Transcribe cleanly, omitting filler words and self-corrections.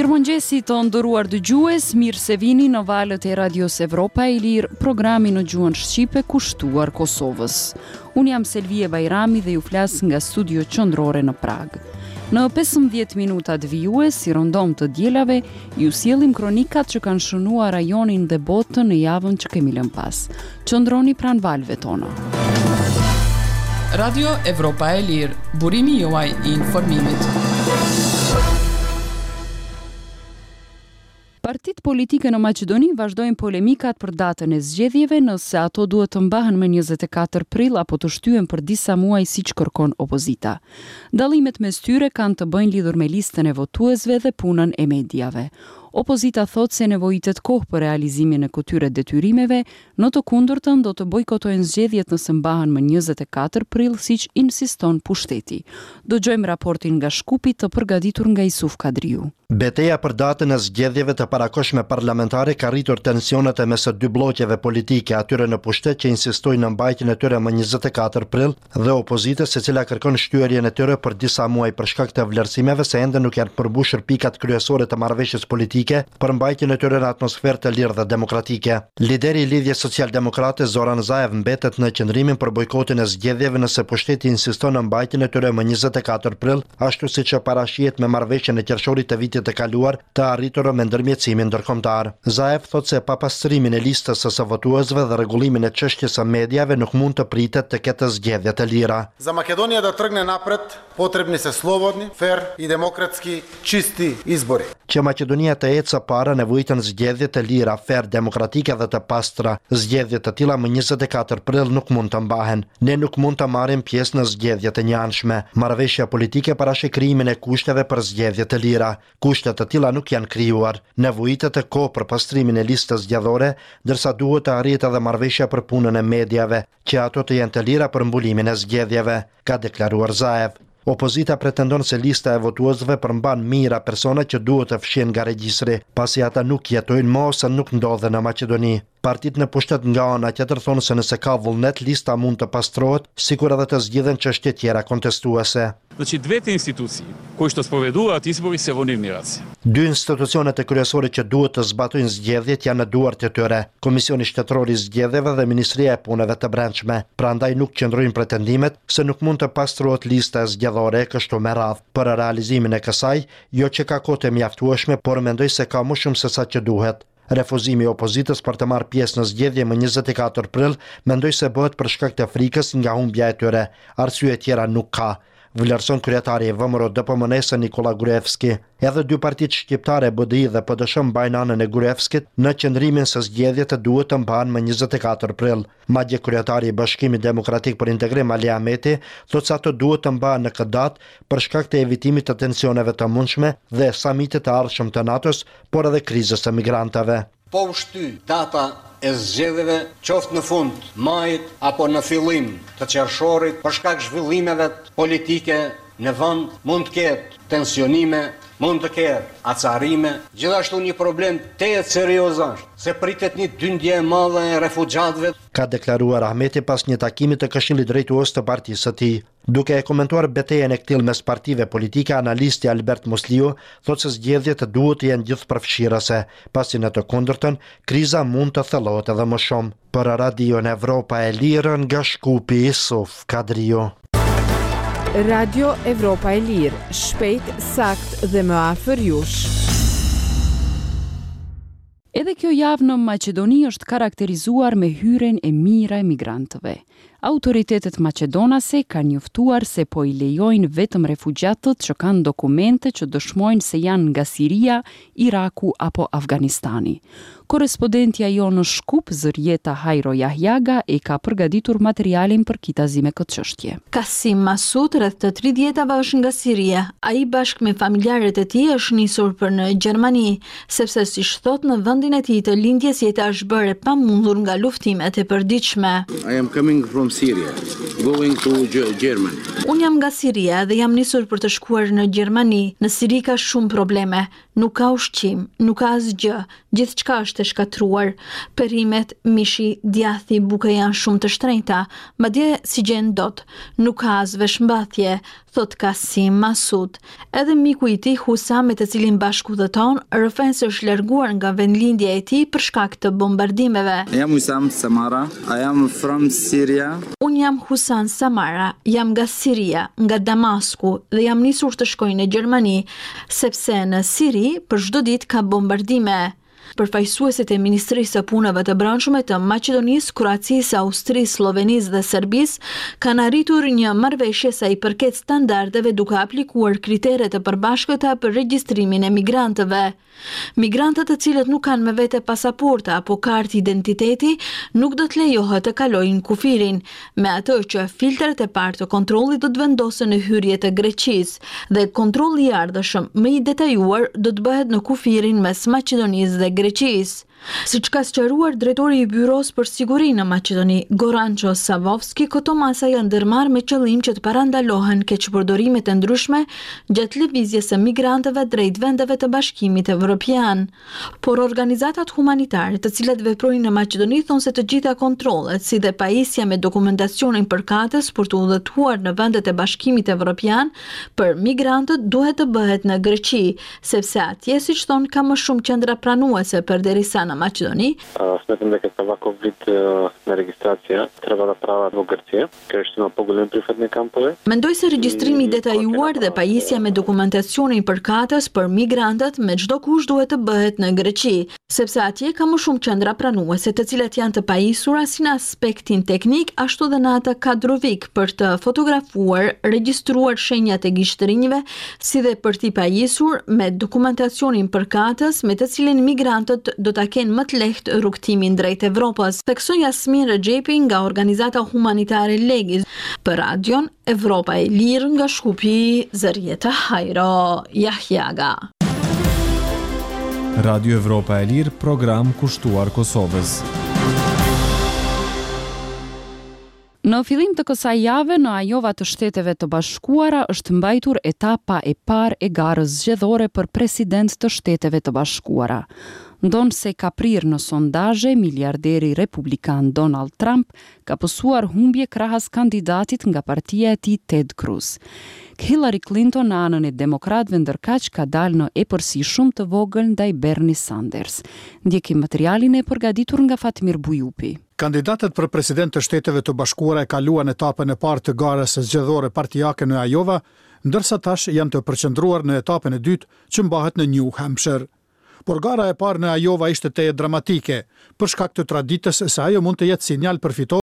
Mirëmëngjesi të nderuar dëgjues, mirë se vini në valët e Radios Evropa e Lirë, programi në gjuhën shqipe kushtuar Kosovës. Unë jam Selvije Bajrami dhe ju flas nga studio qendrore në Pragë. Në 15 minutat vijues, si rëndom të dielave, ju sjellim kronikat që kanë shënuar rajonin dhe botën në javën që kemi lënë pas. Qëndroni pranë valëve tona. Radio Evropa e Lirë, burimi juaj i informimit. Partitë politike në Maqedoni vazhdojnë polemikat për datën e zgjedhjeve, nëse ato duhet të mbahen më 24 prill apo të shtyhen për disa muaj siç kërkon opozita. Dallimet mes tyre kanë të bëjnë lidhur me listën e votuesve dhe punën e mediave. Opozita thotë se nevojitet kohë për realizimin e këtyre detyrimeve, në të kundërtën do të bojkotojnë zgjedhjet nëse mbahen më 24 prill siç insiston pushteti. Dëgjojmë raportin nga Shkupi të përgatitur nga Isuf Kadriu. Beteja për datën e zgjedhjeve të parakohshme parlamentare ka rritur tensionet e mes dy blloqeve politike, atyre në pushtet që insistojnë në mbajtjen e tyre më 24 prill dhe opozitës e cila kërkon shtyerjen e tyre për disa muaj për shkak të vlerësimeve se ende nuk janë përmbushur pikat kryesore të marrëveshjes politike për mbajtjen e tyre në atmosferë të lirë dhe demokratike. Lideri i Lidhjes Socialdemokrate Zoran Zaev mbetet në qëndrimin për bojkotin e zgjedhjeve nëse pushteti insiston në mbajtjen e tyre më 24 prill, ashtu siç parashihet me marrëveshjen e qershorit të vitit të kaluar të arritur me ndërmjetësimin ndërkombëtar. Zaev thotë se pa pastrimin e listës së votuesve dhe rregullimin e çështjes së mediave nuk mund të pritet të ketë zgjedhje të lira. За Македонија да тргне напред, потребни се слободни, фер и демократски чисти избори. Që Maqedonia të ecë para nevojiten zgjedhje të lira, fer, demokratike dhe të pastra. Zgjedhje të tilla më 24 prill nuk mund të mbahen. Ne nuk mund të marrim pjesë në zgjedhje të njëanshme. Marrëveshja politike parasheh krijimin e kushteve për zgjedhje të lira. Kushte të tilla nuk janë krijuar. Nevojitet kohë për pastrimin e listës zgjedhore, ndërsa duhet të arrihet edhe marrëveshja për punën e mediave, që ato të jenë të lira për mbulimin e zgjedhjeve, ka deklaruar Zaev. Opozita pretendon se lista e votuesve përmban mijëra persona që duhet të fshihen nga regjistri, pasi ata nuk jetojnë më ose nuk ndodhen në Maqedoni. Partitë në pushtet nga ana tjetër thonë se nëse ka vullnet, lista mund të pastrohet, sikur edhe të zgjidhen çështje tjera kontestuese. Значи двете институции кои што спроведуваат избори се во нивни раце. Dy institucionet e kryesore që duhet të zbatojnë zgjedhjet janë në duart e tyre, Komisioni Shtetëror i Zgjedhjeve dhe Ministria e Punëve të Brendshme. Prandaj nuk qëndrojnë pretendimet se nuk mund të pastrohet lista zgjedhore e kështu me radhë. Për realizimin e kësaj, jo që ka kohë të mjaftueshme, por mendoj se ka më shumë se sa që duhet. Refuzimi i opozitës për të marrë pjesë në zgjedhje më 24 prill, mendoj se bëhet për shkak të frikës nga humbja e tyre. Arsye tjera nuk ka, vlerëson kryetari i VMRO DPMNE-së Nikola Gruevski. Edhe dy partitë shqiptare BDI dhe PDSH mbajnë anën e Gruevskit në qëndrimin se zgjedhjet duhet të mbahen më 24 prill. Madje kryetari i Bashkimit Demokratik për Integrim Ali Ahmeti thotë se ato duhet të mbahen në këtë datë për shkak të evitimit të tensioneve të mundshme dhe samitit të ardhshëm të NATO-s, por edhe krizës së migrantëve. Po u shty data e zgjedhjeve qoftë në fund majit apo në fillim të qershorit për shkak zhvillimeve politike në vend mund të ketë tensionime, mund të ketë acarime. Gjithashtu një problem tejet serioz është se pritet një dyndje e madhe e refugjatëve. Ka deklaruar Ahmeti pas një takimi të Këshillit Drejtues të partisë së tij. Duke e komentuar betejën e këtillë mes partive politike, analisti Albert Musliu thotë se zgjedhjet duhet të jenë gjithëpërfshirëse, pasi në të kundërtën, kriza mund të thellohet edhe më shumë. Për Radion Evropa e Lirë nga Shkupi, Isuf Kadriu. Radio Evropa e Lirë, shpejt, sakt dhe më afër jush. Edhe kjo javë në Maqedoni është karakterizuar me hyrjen e mijëra emigrantëve. Autoritetet maqedonase kanë njoftuar se po i lejojnë vetëm refugjatët që kanë dokumente që dëshmojnë se janë nga Siria, Iraku apo Afganistani. Korrespondentja jonë në Shkup, Zërjeta Hajro Jahjaga, e ka përgatitur materialin përkitazi me këtë çështje. Kasim Masud, rreth të 30-tave është nga Siria. Ai bashkë me familjarët e tij është nisur për në Gjermani, sepse siç thotë në vendin e tij të lindjes jeta është bërë e pamundur nga luftimet e përditshme. I am coming from Syria, going to Germany. Unë jam nga Siria dhe jam nisur për të shkuar në Gjermani. Në Siri ka shumë probleme. Nuk ka ushqim, nuk ka asgjë, gjithçka është e shkatërruar. Perimet, mishi, djathi, buka janë shumë të shtrenjta, madje s'i gjen dot. Nuk ka as veshmbathje, thotë Kasim Masud. Edhe miku i tij Husam me të cilin bashkë udhëton, rrëfen se është larguar nga vendlindja e tij për shkak të bombardimeve. I am Husam Samara, I am from Syria. Unë jam Husam Samara, jam nga Siria, nga Damasku dhe jam nisur të shkoj në Gjermani, sepse në Siri për çdo ditë ka bombardime. Përfaqësuesit e Ministrisë së Punëve të Brendshme të Maqedonisë, Kroacisë, Austrisë, Sllovenisë dhe Serbisë kanë arritur një marrëveshje sa i përket standardeve duke aplikuar kritere të përbashkëta për regjistrimin e migrantëve. Migrantët të cilët nuk kanë me vete pasaporta apo kartë identiteti nuk do të lejohet të kalojnë kufirin, me atë që filtrat e parë të kontrollit do të vendosen në hyrje të Greqisë dhe kontrolli i ardhshëm më i detajuar do të bëhet në kufirin mes Maqedonisë dhe Greqisë. Siç ka sqaruar drejtori i Byrosë për Siguri në Maqedoni, Goranço Savovski, këto masa janë ndërmarrë me qëllim që të parandalohen keqpërdorimet e ndryshme gjatë lëvizjes së migrantëve drejt vendeve të Bashkimit Evropian. Por organizatat humanitare të cilat veprojnë në Maqedoni thonë se të gjitha kontrollet, si dhe pajisja me dokumentacionin përkatës për të udhëtuar në vendet e Bashkimit Evropian për migrantët duhet të bëhet në Greqi, sepse atje, siç thonë, ka më shumë qendra pranuese përderisa në Maqedoni, Smetам дека ваков вид на регистрација треба да прават во Грција. Каде што има поголеми прифатни кампови. Mendoj se regjistrimi i detajuar dhe pajisja me dokumentacionin përkatës për migrantët me çdo kusht duhet të bëhet në Greqi, sepse atje ka më shumë qendra pranuese, të cilat janë të pajisura si në aspektin teknik ashtu dhe në atë kadrovik për të fotografuar, regjistruar shenjat e gishtërinjve, si dhe për t'i pajisur me dokumentacionin përkatës me të cilin migrantët do ta kenë më të lehtë rrugëtimin drejt Evropës, theksoi Jasmin Rexhepi nga organizata humanitare Legis për Radion Evropa e Lirë nga Shkupi, Zërjeta Hajro Jahjaga. Radio Evropa e Lirë, program kushtuar Kosovës. Në fillim të kësaj jave në Ajova të Shteteve të Bashkuara është mbajtur etapa e parë e garës zgjedhore për president të Shteteve të Bashkuara. Ndonëse ka prirë në sondazhe, miliarderi republikan Donald Trump ka pësuar humbje krahas kandidatit nga partia e tij Ted Cruz. Hillary Clinton në anën e demokratëve ndërkaq ka dalë në epërsi shumë të vogël ndaj Bernie Sanders. Ndjekim materialin e përgatitur nga Fatmir Bujupi. Kandidatët për president të Shteteve të Bashkuara e kaluan etapën e parë të garës zgjedhore partiake në Ajova, ndërsa tash janë të përqendruar në etapën e dytë që mbahet në New Hampshire. Por gara e parë në Ajova ishte tejet dramatike, për shkak të traditës se ajo mund të jetë sinjal për fitore.